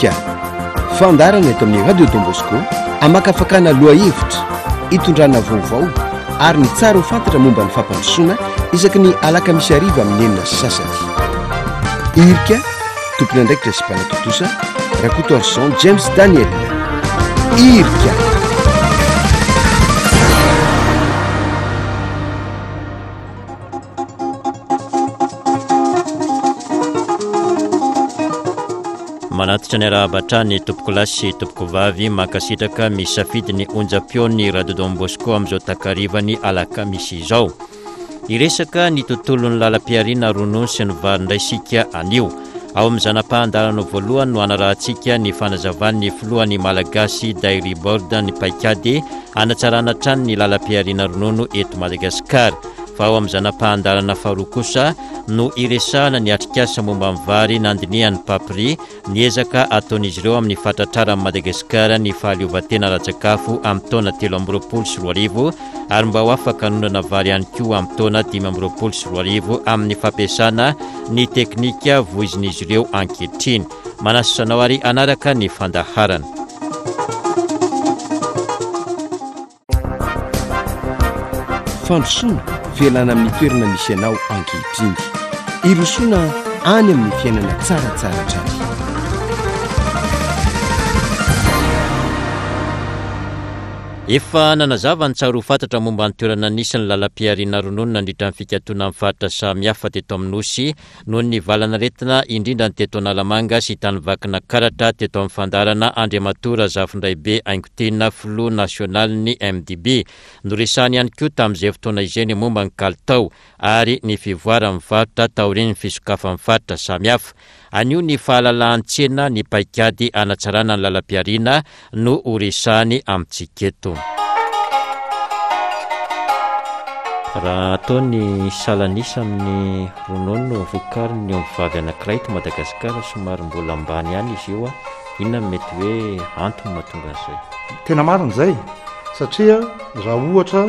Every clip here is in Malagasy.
Irika, fandaharana eto amin'ny Radio Don Bosco hamakafakana lohahevitra, hitondrana vaovao ary ny tsara ho fantatra momba ny fampandrosoana isaky ny alakamisy hariva amin'ny 6:30. Irika, tompon'andraikitra sy mpanatontosa, Rakotoarison James Daniel. Irika. Manatitra ny arahaba hatrany tompokolahy sy tompokovavy mankasitraka misafidy ny onjam-peon'ny Radio Don Bosco amin'izao takarivany alakamisy izao. Hiresaka ny tontolon'ny lalam-pihariana ronono sy ny vary indray isika anio. Ao amin'ny zana-pahan-dalana voalohany no hanarahantsika ny fanazavan'ny filohan'ny Malagasy Dairy Board ny paikady hanatsarana hatrany ny lalam-pihariana ronono eto Madagasikara. Fa ao amin'ny zana-pahan-dalana faharoa kosa no hiresahana ny atrikasa momba ny vary nandinihan'ny Papri ny ezaka ataon'izy ireo amin'ny fahatratraran'i Madagasikara ny fahaleovantena ara-tsakafo amin'ny taona 2023 ary mba ho afaka hanondrana vary ihany koa amin'ny taona 2025 amin'ny fampiasana ny teknika voizin'izy ireo ankehitriny. Manasa anao ary hanaraka ny fandaharana. Fandrosoana, fialana amin'ny toerana misy anao ankehitriny. Hirosoana any amin'ny fiainana tsaratsara hatrany. Efa nanazava ny tsara ho fantatra momba ny toerana nisy ny lalam-pihariana ronono nandritra ny fikatonan'ny faritra samihafa teto amin'ny Nosy noho ny valanaretina, indrindra ny teto Analamanga sy tany Vakinakaratra teto amin'ny fandaharana Andriamatoa Razafindraibe Haingotiana filoha nasionalin'ny MDB. Noresahany ihany koa tamin'izay fotoana izay ny momba ny kalitao ary ny fivoaran'ny varotra taorian'ny fisokafan'ny faritra samihafa. Anio ny fahalalahan-tsena ny paikady hanatsarana ny lalam-pihariana no ho resahany amintsika eto. Raha atao ny salan'isa amin'ny ronono vokarin'ny ombivavy anankiray eto Madagasikara, somary mbola ambany ihany izy io. Inona no mety hoe antony mahatonga an'izay? Tena marina izay satria raha ohatra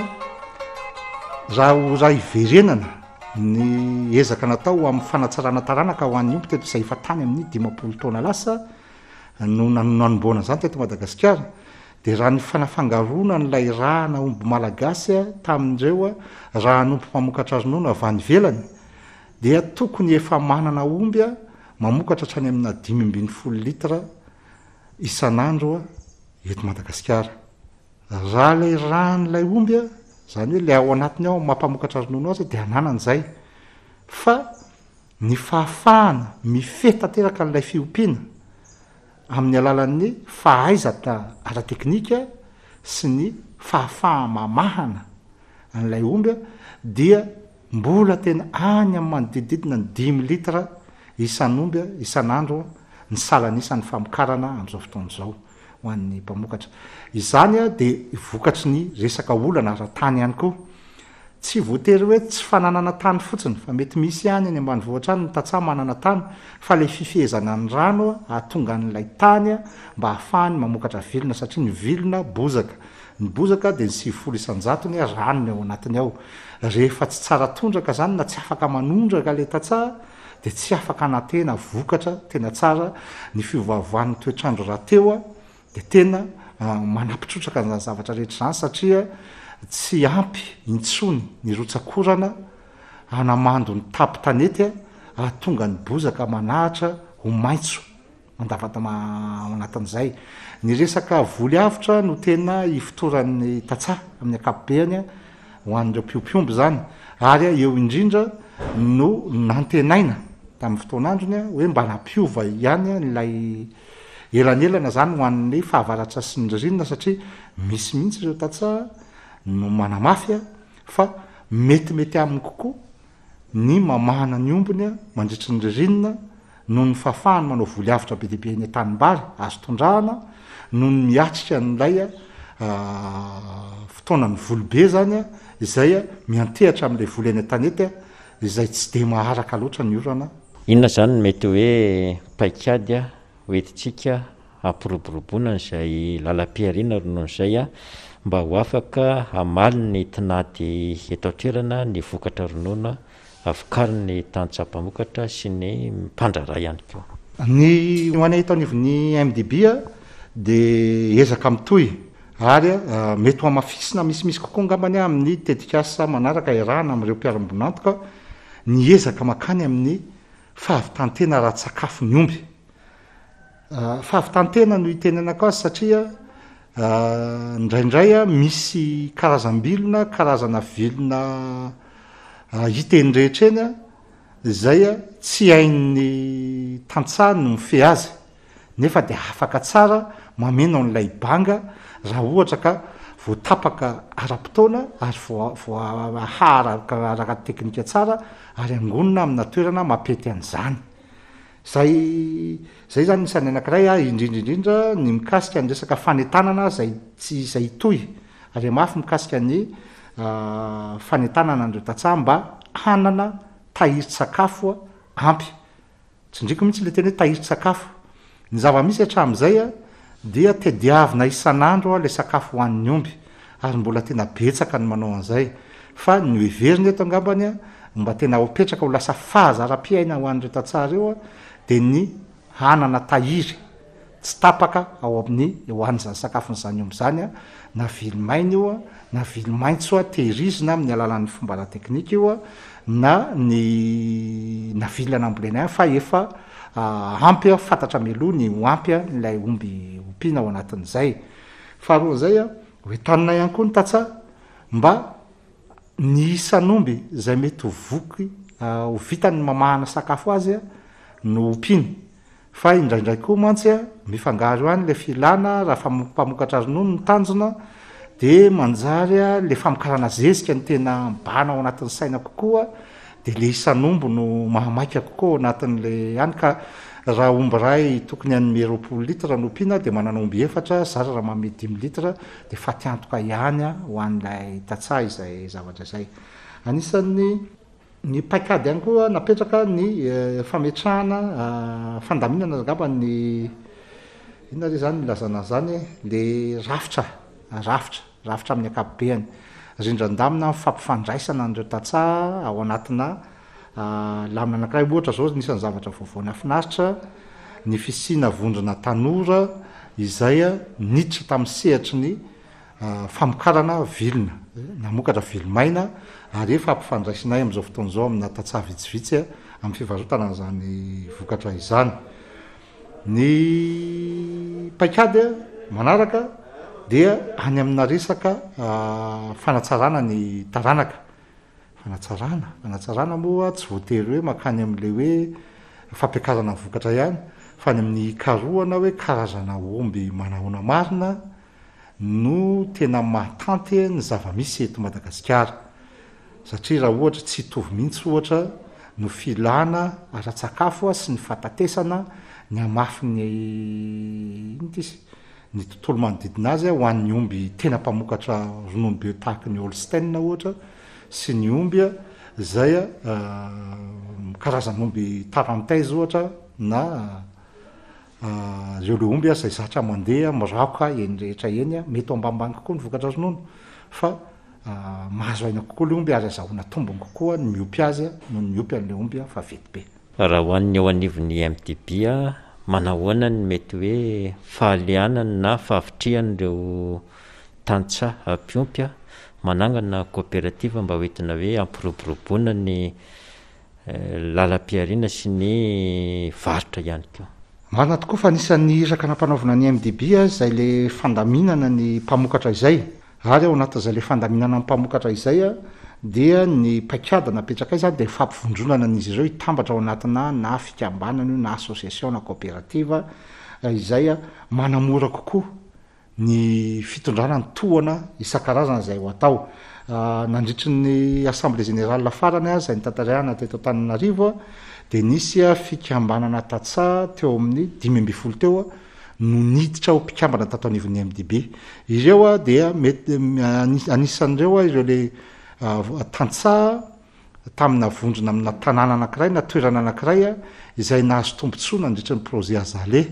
raha raha hiverenana ny ezaka natao amin'ny fanatsarana taranaka ho an'ny omby teto izay efa tany amin'ny 50 taona lasa no nanombohana an'izany teto Madagasikara dia raha ny fanafangaroana an'ilay ràna omby malagasy tamin'ireo ràn'omby mpamokatra ronono avy any ivelany dia tokony efa manana omby mamokatra hatrany amina 15 litre isan'andro eto Madagasikara. Raha ilay ràn'ilay omby, izany hoe ilay ao anatiny ao mampamokatra ronono azy dia ananany izay. Fa Ny fahafahana mifehy tanteraka an'ilay fiompiana amin'ny alalan'ny fahaizana ara-teknika sy ny fahafaha-mamahana an'ilay omby dia mbola tena any amin'ny manodidididina ny dimy litre isan'omby isan'andro ny salan'isan'ny famokarana amin'izao fotoana izao ho an'ny mpamokatra. Izany dia vokatry ny resaka olana ara-tany ihany koa. Tsy voatery hoe tsy fananana tany fotsiny fa mety misy ihany any ambanivohitra any ny tantsaha manana tany fa ilay fifehezana ny rano hahatonga an'ilay tany mba hahafahany mamokatra vilona satria ny vilona bozaka. Ny bozaka dia ny 90 isan-jatony rano ny ao anatiny ao. Rehefa tsy tsara tondraka izany na tsy afaka manondraka ilay tantsaha dia tsy afaka hanantena vokatra tena tsara. Ny fiovaovan'ny toetr'andro rahateo Dia tena manampy trotraka an'izany zavatra rehetra izany satria tsy ampy intsony ny rotsak'orana hanamando ny tampon-tanety hahatonga ny bozaka manahatra ho maitso mandavadama ao anatin'izay. Ny resaka voly avotra no tena ifotoran'ny tantsaha amin'ny ankapobeany ho an'ireo mpiompy omby izany ary eo indrindra no nantenaina tamin'ny fotoan'androny hoe mba nampiova ihany ilay Elanelana izany ho an'ny fahavaratra sy ny ririnina satria misy mihitsy ireo tantsaha no manamafy fa metimety aminy kokoa ny mamahana ny ombiny mandritry ny ririnina noho ny fahafahany manao voly avotra be dia be eny an-tanimbary azo tondrahana noho ny miatrika an'ilay fotoanan'ny voly be izany izay miantehatra amin'ilay voly eny an-tanety izay tsy dia maharaka loatra ny orana. Inona izany no mety hoe paikady hoentintsika hampiroboroboana an'izay lalam-pihariana ronono izay mba ho afaka hamaly ny tinady eto an-toerana ny vokatra ronono vokarin'ny tantsaha mpamokatra sy ny mpandraharaha ihany koa? Ny ho anay eto anivon'ny MDB dia ezaka mitohy ary mety ho hamafisina misimisy kokoa angambany amin'ny tetikasa manaraka iarahana amin'ireo mpiara-miombon'antoka ny ezaka mankany amin'ny fahavitan-tena ara-tsakafo ny omby. Fahavitan-tena no itenenako azy satria indraindray misy karazam-bilona, karazana vilona hita eny rehetra eny izay tsy hain'ny tantsaha ny mifehy azy nefa dia afaka tsara mameno an'ilay banga raha ohatra ka voatapaka ara-potoana ary voahaha araka teknika tsara ary angonina amina toerana mampety an'izany. Zay zay zany isan'ny anakiray a, indrindra indrindra ny mikasika ny resaka fanentanana zay tsy izay hitohy ary hamafy mikasika ny fanentanana an'ireo tantsaha mba hanana tahirin-tsakafo ampy. Tsindriko mihitsy le teny hoe tahirin-tsakafo. Ny zava-misy hatramin'izay a dia tediavina isan'andro le sakafo hohanin'ny omby ary mbola tena betsaka ny manao an'izay fa ny hoheverina eto angambany a mba tena ho apetraka ho lasa fahazaram-piaina ho an'ireo tantsaha ireo a dia ny hanana tahiry tsy tapaka ao amin'ny ho an'izany sakafon'izany omby izany a na vily maina io a na vily maitso a tehirizina amin'ny alalan'ny fomba ara-teknika io a na ny na vilona nambolena ihany fa efa ampy a, fantatra mialoha ny ho ampy ilay omby ompiana ao anatin'izay. Faharoan'izay a, ho entanina ihany koa ny tantsaha mba ny isan'omby izay mety ho voky ho vitany ny mamahana sakafo azy no ompiany. Fa indraindray koa mantsy a, mifangaro ihany ilay filana raha mpamokatra ronono ny tanjona dia manjary ilay famokarana zezika no tena mibahana ao anatin'ny saina kokoa dia ilay isan'omby no mahamaika kokoa ao anatin'ilay ihany ka raha omby iray tokony hanome 20 litres no ompiana dia manana omby efatra, zara raha manome dimy litres dia faty antoka ihany ho an'ilay tantsaha izay zavatra izay. Anisan'ny ny paikady ihany koa napetraka ny fametrahana fandaminana angamba ny inona re izany ilazana an'izany e, le rafitra, rafitra, rafitra amin'ny ankapobeany. Rindran-damina amin'ny fampifandraisana an'ireo tantsaha ao anatina lamina anankiray. Ohatra izao anisan'ny zavatra vaovao nahafinaritra ny fisiana vondrona tanora izay niditra tamin'ny sehatry ny famokarana vilona, namokatra vilomaina ary efa ampifandraisinay amin'izao fotoana izao amina tantsaha vitsivitsy amin'ny fivarotana an'izany vokatra izany. Ny paikady manaraka dia any amina resaka fanatsarana ny taranaka. Fanatsarana, fanatsarana moa tsy voatery hoe mankany amin'ilay hoe fampiakarana ny vokatra ihany fa any amin'ny hikarohana hoe karazana omby manahoana marina no tena mahatanty ny zava-misy eto Madagasikara. Satria raha ohatra tsy hitovy mihitsy ohatra no filana ara-tsakafo sy ny fahatatesana ny hamafin'ny inona ity izy? ny tontolo manodidina azy ho an'ny omby tena mpamokatra ronono be tahaky ny Holstein ohatra sy ny omby izay karazan'omby Tarentaise ohatra na Ireo le omby izay zatra mandeha miraoka eny rehetra eny, mety ho ambanimbany kokoa ny vokatra ronono fa mahazo aina kokoa le omby ary azahoana tombony kokoa ny miompy azy noho ny miompy an'le omby vaventy be. Raha ho an'ny eo anivon'ny MDB, manahoana ny mety hoe fahalianany na fahavitrihan'ireo tantsaha mpiompy manangana coopérative mba hoentina hoe hampiroboroboana ny lalam-pihariana sy ny varotra ihany koa. Marina tokoa fa anisan'ny iraka nampanaovina ny MDB izay le fandaminana ny mpamokatra izay, ary ao anatin'izay le fandaminana ny mpamokatra izay dia ny paikady napetrakay izany dia fampivondronana an'izy ireo hitambatra ao anatina na fikambanana io na association na coopérative izay manamora kokoa ny fitondrana ny tohana isan-karazany izay ho atao. Nandritry ny Assemblée générale farany izay notanterahina teto Antananarivo dia nisy fikambanana tantsaha teo amin'ny 15 teo no niditra ho mpikambana tato anivon'ny MDB. Ireo dia mety anisan'ireo ireo le tantsaha tamina vondrona amina tanàna anankiray na toerana anankiray izay nahazo tombontsoa nandritry ny projet Azalea.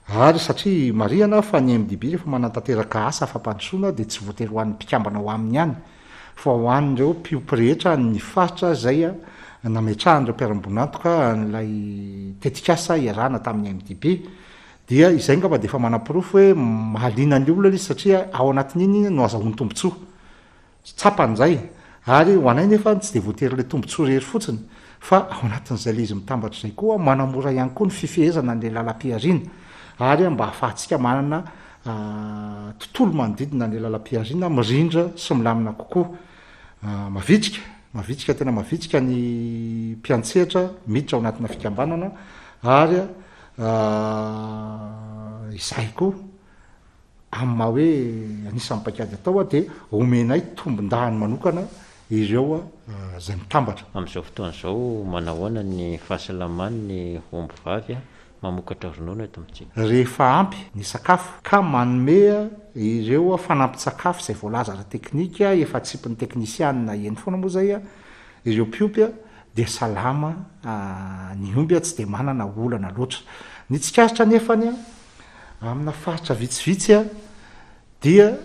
Ary satria marihana fa ny MDB rehefa manatanteraka asa fampandrosoana dia tsy voatery ho an'ny mpikambana ao aminy ihany fa ho an'ireo mpiompy rehetra any ny faritra izay. nametrahan'ireo mpiara-miombon'antoka an'ilay tetikasa iarahana tamin'ny MDB. Dia izay angamba dia efa manaporofo hoe mahaliana ny olona ilay izy satria ao anatin'iny no azahoany tombontsoa. Tsapany izay. Ary ho anay nefa tsy dia voatery ilay tombontsoa irery fotsiny fa ao anatin'izay ilay izy mitambatra izay koa manamora ihany koa ny fifehezana an'ilay lalam-pihariana ary mba ahafahantsika manana tontolo manodidina an'ilay lalam-pihariana mirindra sy milamina kokoa. Mavitrika, mavitrika tena mavitrika ny mpiantsehatra miditra ao anatina fikambanana ary izahay koa amin'ny maha hoe anisan'ny paikady atao dia omenay tombondahiny manokana ireo izay mitambatra. Amin'izao fotoana izao, manahoana ny fahasalaman'ny omby vavy mamokatra ronono eto amintsika? Rehefa ampy ny sakafo ka manome ireo fanampin-tsakafo izay voalaza ara-teknika, efa atsipin'ny teknisianina eny foana moa izay, ireo mpiompy dia salama ny omby tsy dia manana olana loatra. Ny tsikaritra anefany amina faritra vitsivitsy dia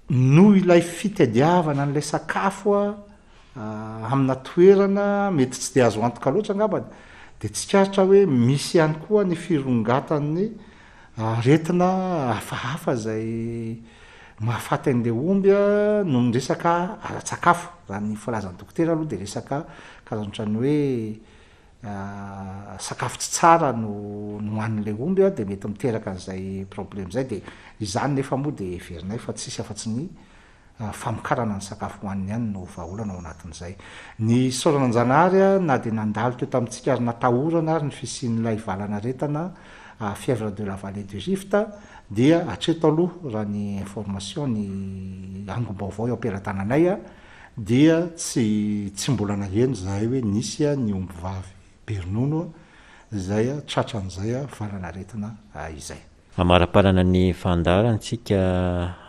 noho ilay fitadiavana an'ilay sakafo amina toerana mety tsy dia azo antoka loatra angambany dia tsikaritra hoe misy ihany koa ny firongatan'ny aretina hafahafa izay mahafaty an'ilay omby noho ny resaka ara-tsakafo. Raha ny filazan'ny dokotera aloha dia resaka karazana ohatran'ny hoe sakafo tsy tsara no nohanin'ilay omby dia mety miteraka an'izay problème izay dia izany nefa moa dia heverinay fa tsisy afa-tsy ny famokarana ny sakafo hohaniny ihany no vahaolana ao anatin'izay. Ny isaorana an-Janahary na dia nandalo teo tamintsika ary natahorana ary ny fisian'ilay valan'aretana fièvre de la vallée du Rift dia hatreto aloha raha ny information ny angom-baovao eo am-pelatananay dia tsy tsy mbola naheno izahay hoe nisy ny ombivavy be ronono izay tratran'izay valan'aretina izay. Amaraparana ny fandaharantsika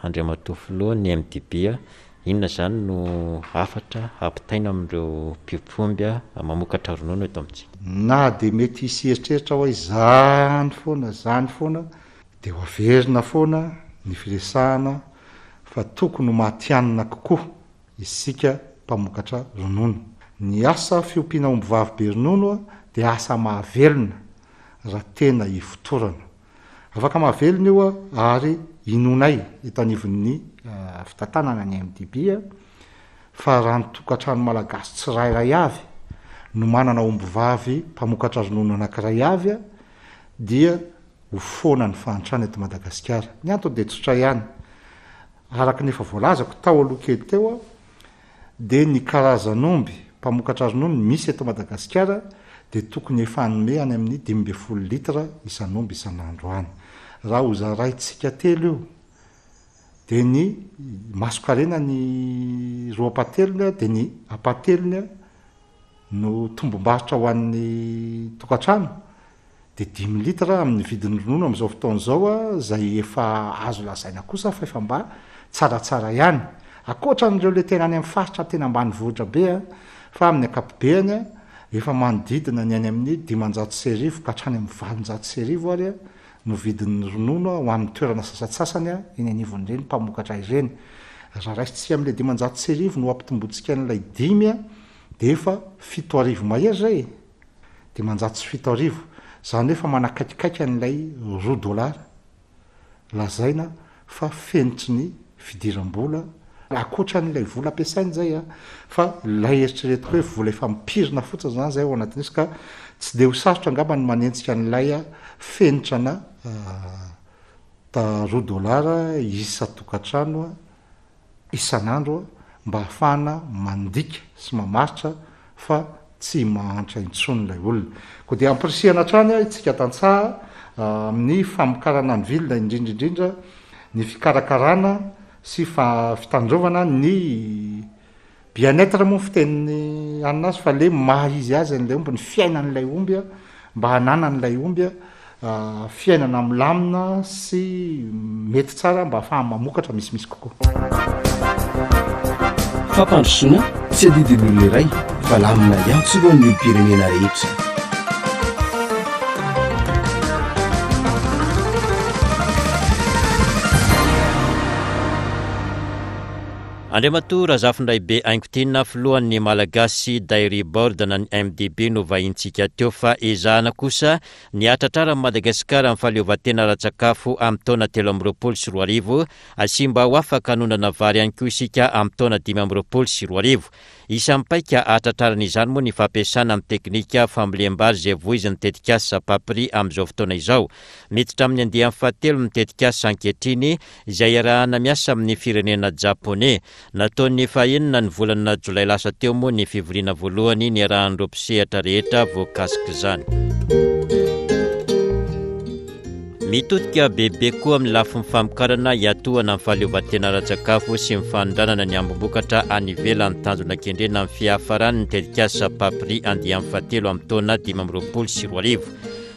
Andriamatoa Filoha ny MDB, inona izany no hafatra hampitaina amin'ireo mpiompy omby mamokatra ronono eto amintsika? Na dia mety hisy hieritreritra hoe izany foana, izany foana, dia ho averina foana ny firesahana fa tokony ho matihanina kokoa isika mpamokatra ronono. Ny asa fiompiana ombivavy be ronono dia asa mahavelona raha tena ifotorana. Afaka mahavelona io ary inoanay eto anivon'ny fitantanana ny MDB fa raha ny tokantrano malagasy tsirairay avy no manana ombivavy mpamokatra ronono anankiray avy dia ho foana ny fahantrana eto Madagasikara. Ny antony dia tsotra ihany, araka ny efa voalazako tao aloha kely teo dia ny karazan'omby mpamokatra ronono misy eto Madagasikara dia tokony efa hanome any amin'ny 15 litres isan'omby isan'andro any. Raha hozaraintsika telo io dia ny masonkarena ny roa ampahatelony dia ny ampahatelony no tombom-barotra ho an'ny tokantrano dia dimy litre amin'ny vidin'ny ronono amin'izao fotoana izao izay efa azo lazaina kosa fa efa mba tsaratsara ihany. Ankoatra an'ireo ilay tena any amin'ny faritra tena ambanivohitra be fa amin'ny ankapobeany efa manodidina ny any amin'ny 1500 ka hatrany amin'ny 1800 ary no vidin'ny ronono ho an'ny toerana sasantsasany eny anivon'ireny mpamokatra ireny. Raha raisintsika amin'ilay 1500 no ampitombointsika an'ilay dimy dia efa 7000 mahery izay e! 7500, izany hoe efa manakaikikaiky an'ilay roa dolara lazaina fa fenitry ny fidiram-bola, ankoatra an'ilay vola ampiasaina izay an, fa ilay eritreretiko hoe vola efa mipirina fotsiny izany izay ao anatin'izy ka tsy dia ho sarotra angamba ny manenjika an'ilay fenitra ana roa dolara isan-tokantrano isan'andro mba hahafahana mandika sy mamaritra fa tsy mahantra intsony ilay olona. Koa dia ampirisihana hatrany isika tantsaha amin'ny famokarana ny vilona indrindra indrindra ny fikarakarana sy fitandrovana ny Bien-être moa ny fitenin'ny anona azy fa le maha izy azy an'ilay omby, ny fiainan'ilay omby mba hananan'ilay omby fiainana milamina sy mety tsara mba ahafahany mamokatra misimisy kokoa. Fampandrosoana tsy adidin'ny olona iray fa lamina iantsorohan'ny olom-pirenena rehetra. Andriamatoa Razafindraibe Haingotiana, filohan'ny Malagasy Dairy Board na ny MDB no vahintsika teo fa ezahana kosa ny hahatratraran'i Madagasikara ny fahaleovantena ara-tsakafo amin'ny taona 2023 sy mba ho afaka hanondrana vary ihany koa isika amin'ny taona 2025. Isan'ny paika hahatratrarana izany moa ny fampiasana ny teknika fambolem-bary izay voizin'ny tetikasa Papri amin'izao fotoana izao. Miditra amin'ny andiany fahatelo ny tetikasa ankehitriny izay iarahana miasa amin'ny firenena Japoney. Nataon'ny fahenina ny volana jolay lasa teo moa ny fivoriana voalohany niarahan'ireo mpisehatra rehetra voakasik'izany. Mitodika bebe koa amin'ny lafiny famokarana hiatohana ny fahaleovantena ara-tsakafo sy ny fanondranana ny ambim-bokatra any ivelany tanjona kendrena amin'ny fiafaran'ny tetikasa Papri andiany fahatelo amin'ny taona 2025.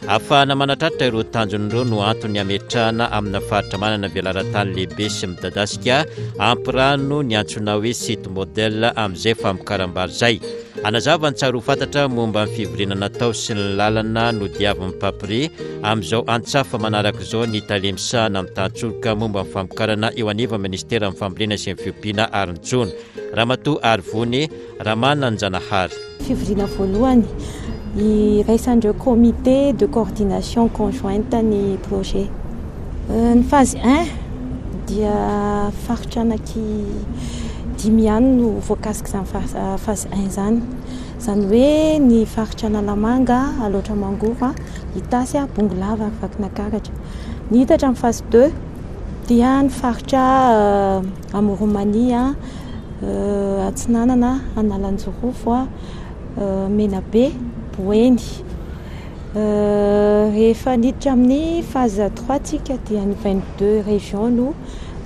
Ahafahana manatratra ireo tanjona ireo no antony hametrahana amina faritra manana velaran-tany lehibe sy midadasika ampy rano ny antsoina hoe site modèle amin'izay famokaram-bary izay. Hanazava ny tsara ho fantatra momba ny fivoriana natao sy ny lalana nodiavin'ny Papri amin'izao antsafa manaraka izao ny tale misahana ny tantsoroka momba ny famokarana eo anivon'ny Ministeran'ny Fambolena sy ny Fiompiana ary ny Jono, Ramatoa Arivony Ramananjanahary. Fivoriana voalohany iraisan'ireo comité de coordination conjointe ny projet. Ny phase un dia faritra anaky dimy ihany no voakasik'izany phase un izany. Izany hoe ny faritra Analamanga, Alaotra Mangoro, Itasy, Bongolava ary Vakinankaratra. Ny hitatra amin'ny phase deux dia ny faritra Amoron'i Mania, Atsinanana, Analanjirofo, Menabe, Boeny. Rehefa niditra amin'ny phase trois tsika dia ny 22 régions no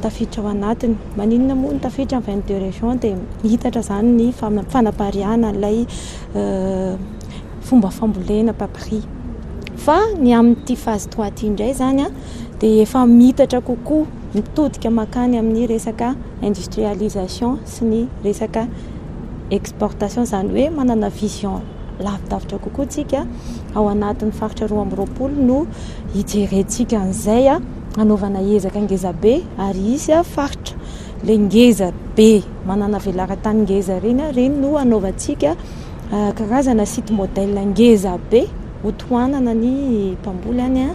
tafiditra ao anatiny. Maninona moa no tafiditra ny 22 régions dia mihitatra izany ny fanapariahana an'ilay fomba fambolena papri. Fa ny amin'ity phase trois ity indray izany dia efa mihitatra kokoa, mitodika mankany amin'ny resaka industrialisation sy ny resaka exportation, izany hoe manana vision lavidavitra kokoa tsika, ao anatin'ny faritra 22 no hijerentsika an'izay, hanaovana ezaka ngezabe ary hisy faritra le ngeza be manana velaran-tany ngeza ireny, ireny no hanaovantsika karazana site modèle ngeza be ho tohanana ny mpamboly any.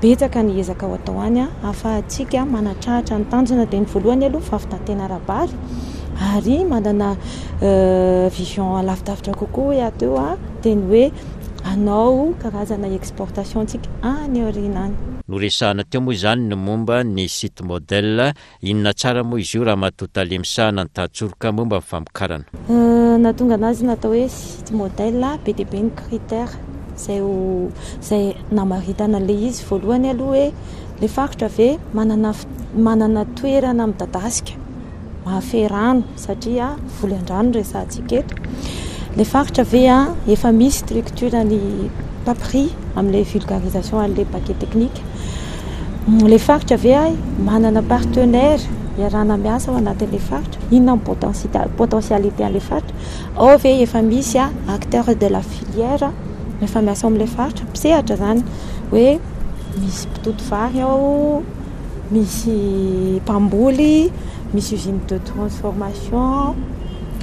Betsaka ny ezaka ho atao any ahafahantsika manatratra ny tanjona dia ny voalohany aloha fahavitan-tena ara-bary ary manana vision lavidavitra kokoa hoe aho teo dia ny hoe hanao karazana exportation tsika any aoriana any. Noresahana teo moa izany ny momba ny site modèle Inona tsara moa izy io Ramatoa Tale misahana ny tantsoroka momba ny famokarana? Nahatonga anazy natao hoe site modèle, be dia be ny critères izay ho izay namaritana an'ilay izy. Voalohany aloha hoe ilay faritra ve manana manana toerana midadasika mahafehy rano satria voly an-drano no resahantsika eto. Ilay faritra ve efa misy structure ny PAPRI amin'ilay vulgarisation an'ilay paquet technique. Ilay faritra ve manana partenaire iarahana miasa ao anatin'ilay faritra? Inona ny potentialité an'ilay faritra? Ao ve efa misy acteur de la filière efa miasa ao amin'ilay faritra? Mpisehatra izany hoe misy mpitoto vary ao, misy mpamboly, misy usine de transformation,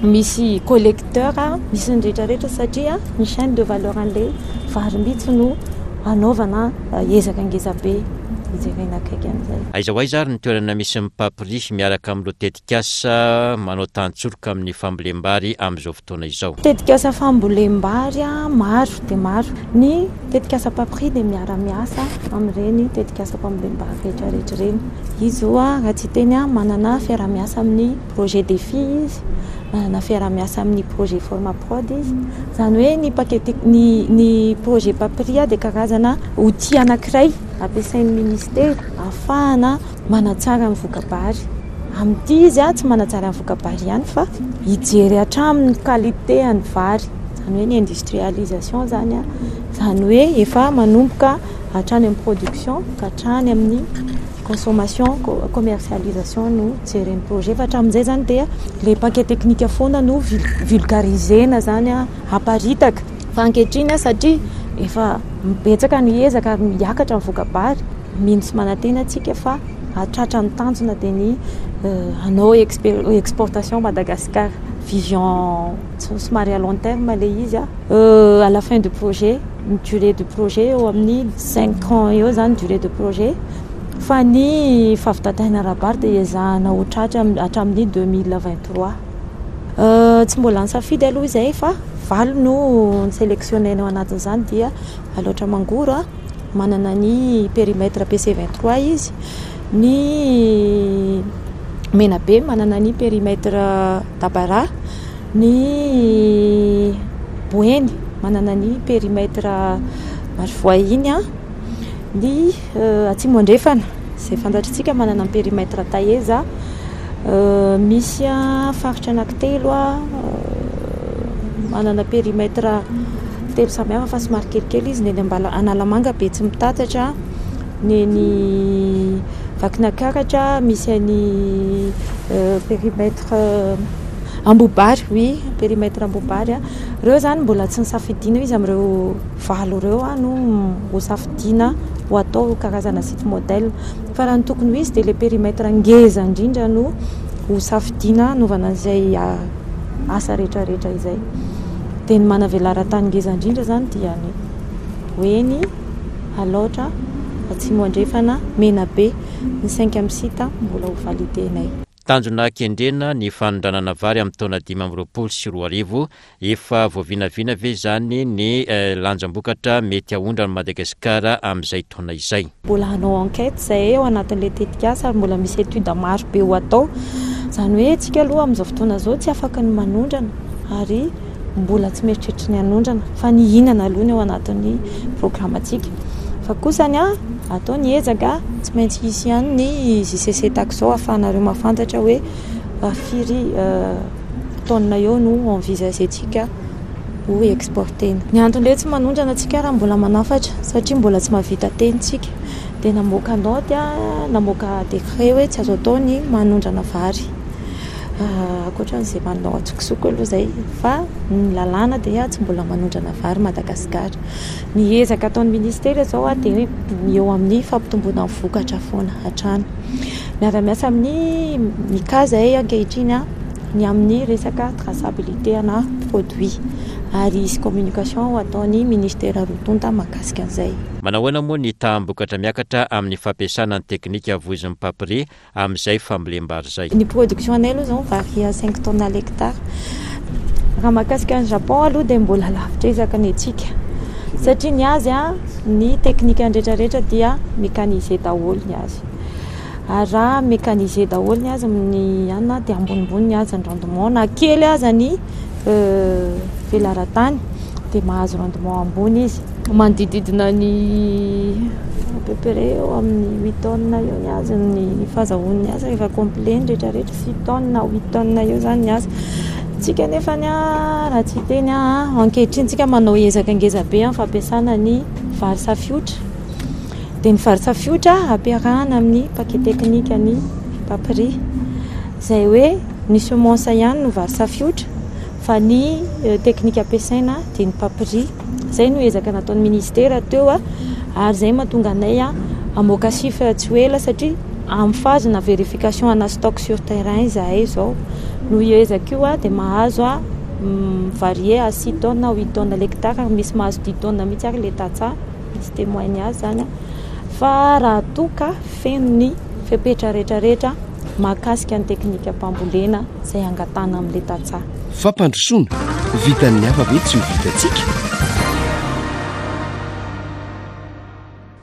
misy collecteur, misy ny rehetra rehetra satria ny chaine de valeur an'ilay vary mihitsy no anaovana ezaka ngeza be hijerena akaiky an'izay. Aiza ho aiza ary ny toerana misy ny Papri miaraka amin'ireo tetikasa manao tantsoroka amin'ny fambolem-bary amin'izao fotoana izao? Tetikasa fambolem-bary maro dia maro. Ny tetikasa Papri dia miara-miasa amin'ireny tetikasam-pambolem-bary rehetra rehetra ireny. Izy izao raha tsy hiteny aho, manana fiaraha-miasa amin'ny projet Defi izy, manana fiaraha-miasa amin'ny projet Formaprod izy. Izany hoe ny paquet ny ny projet Papri dia karazana outil anankiray ampiasain'ny ministera ahafahana manatsara ny voka-bary. Amin'ity izy tsy manatsara ny voka-bary ihany fa hijery hatramin'ny qualité an'ny vary, izany hoe ny industrialisation izany, izany hoe efa manomboka hatrany amin'ny production ka hatrany amin'ny consommation, commercialisation no jeren'ny projet fa hatramin'izay izany dia ilay paquet technique foana no vulgariser-na izany aparitaka fa ankehitriny satria efa betsaka ny ezaka ary miakatra ny voka-bary, mino sy manantena isika fa hahatratra ny tanjona dia ny hanao exportation Madagascar. Vision somary à long terme ilay izy. À la fin du projet, ny durée du projet eo amin'ny cinq ans eo izany durée de projet. Fa ny fahavitan-tena ara-bary dia ezahana ho tratra hatramin'ny 2023. Tsy mbola nisafidy aloha izay fa valo no ni-selectionner-na ao anatin'izany dia Alaotra Mangoro, manana ny périmètre PC 23 izy, ny Menabe manana ny périmètre Dabara, ny Boeny manana ny périmètre Marovoay iny, ny Atsimo Andrefana izay fantatritsika manana ny périmètre Taeza, misy faritra anankitelo manana périmètre telo samihafa fa somary kelikely izy, ny eny Ambala- Analamanga Betsimitatatra, ny eny Vakinankaratra misy an'i périmètre Ambohibary, oui périmètre Ambohibary. Ireo izany mbola tsy nosafidiana izy amin'ireo valo ireo no hosafidiana ho atao karazana site modèle. Fa raha ny tokony ho izy dia ilay périmètre ngeza indrindra no hosafidiana hanaovana an'izay asa rehetrarehetra izay. Dia ny manavelaran-tany ngeza indrindra izany dia ny Boeny, Alaotra, Atsimo Andrefana, Menabe, ny cinquième site mbola ho valider-nay. Tanjona kendrena ny fanondranana vary amin'ny taona 2025. Efa voavinavina ve izany ny lanjam-bokatra mety haondran'i Madagasikara amin'izay taona izay? Mbola hanao enquête izahay ao anatin'ilay tetikasa ary mbola misy étude maro be ho atao. Izany hoe isika aloha amin'izao fotoana izao tsy afaka ny manondrana ary mbola tsy mieritreritra ny hanondrana fa ny hihinana aloha ny ao anatin'ny programantsika. Fa kosa ny atao ny ezaka, tsy maintsy hisy ihany ny JCC tahaka izao ahafahanareo mahafantatra hoe firy tonnes eo no envisager-tsika ho exporter-na. Ny antony hoe tsy manondrana tsika raha mbola manafatra satria mbola tsy mahavita teny tsika dia namoaka note, namoaka décret hoe tsy azo atao ny manondrana vary. Ankoatran'izay manao antsokosoko aloha izay fa ny lalàna dia tsy mbola manondrana vary Madagasikara. Ny ezaka ataon'ny ministera izao dia eo amin'ny fampitomboana ny vokatra foana hatrany. Miara-miasa amin'ny MICA izahay ankehitriny ny amin'ny resaka traçabilité ana produit ary hisy communication ho ataon'ny ministera roa tonta mahakasika an'izay. Manahoana moa ny taham-bokatra miakatra amin'ny fampiasana ny teknika voizin'ny Papri amin'izay fambolem-bary izay. Ny production anay aloha izao mi-varie à cinq tonnes à l'hectare. Raha mahakasika an'i Japon aloha dia mbola lavitra ezaka ny antsika satria ny azy ny teknikany rehetra rehetra dia mécanisé daholo ny azy. Ary raha mécanisé daholo ny azy ny anona dia ambonimbony ny azy ny rendement na kely aza ny velaran-tany dia mahazo rendement ambony izy. Manodididina ny à peu près eo amin'ny huit tonnes eo ny azy ny fahazahoany ny azy rehefa complet ny rehetra rehetra, six tonnes na huit tonnes eo izany ny azy. Tsika nefany raha tsy hiteny aho, ankehitriny tsika manao ezaka ngeza be amin'ny fampiasana ny vary safiotra. Dia ny vary safiotra ampiarahana amin'ny paquet technique ny papri. Izay hoe ny semence ihany no vary safiotra fa ny teknika ampiasaina dia ny papri. Izay no ezaka nataon'ny ministera teo ary izay mahatonga anay hamoaka chiffre tsy ho ela satria amin'ny phase na vérification ana stock sur terrain izahay izao. Noho io ezaka io dia mahazo mi-varier à six tonnes à huit tonnes l'hectare ary misy mahazo dix tonnes mihitsy ary ilay tantsaha, misy témoignage izany fa raha toa ka feno ny fepetra rehetra rehetra mahakasika ny teknikam-pambolena izay angatahana amin'ilay tantsaha. Fampandrosoana, vitan'ny hafa ve tsy ho vitantsika?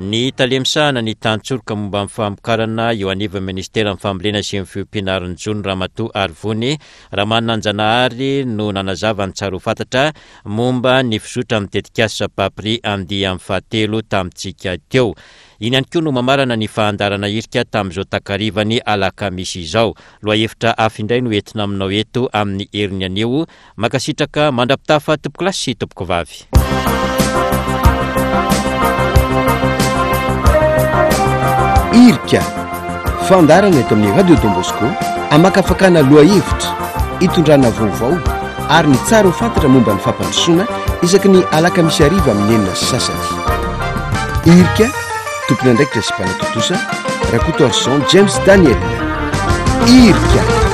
Ny tale misahana ny tantsoroka momba ny famokarana eo anivon'ny Ministeran'ny Fambolena sy ny Fiompiana ary ny Jono Ramatoa Arivony Ramananjanahary no nanazava ny tsara ho fantatra momba ny fizotran'ny tetikasa Papri andiany fahatelo tamintsika teo. Iny ihany koa no mamarana ny fahandarana hirika tamin'izao takarivan'ny alakamisy izao. Lohahevitra hafa indray no entina aminao eto amin'ny heriny anio. Mankasitraka mandra-pitafa tompokolahy sy tompokovavy. Hirika, fandaharana eto amin'ny Radio Don Bosco, amakafakana lohahevitra, itondrana vaovao ary ny tsara ho fantatra momba ny fampandrosoana isaky ny alakamisy hariva amin'ny 6:30. Irika, tompon'andraikitra sy mpanatontosa, Rakotoarison James Daniel. Irika.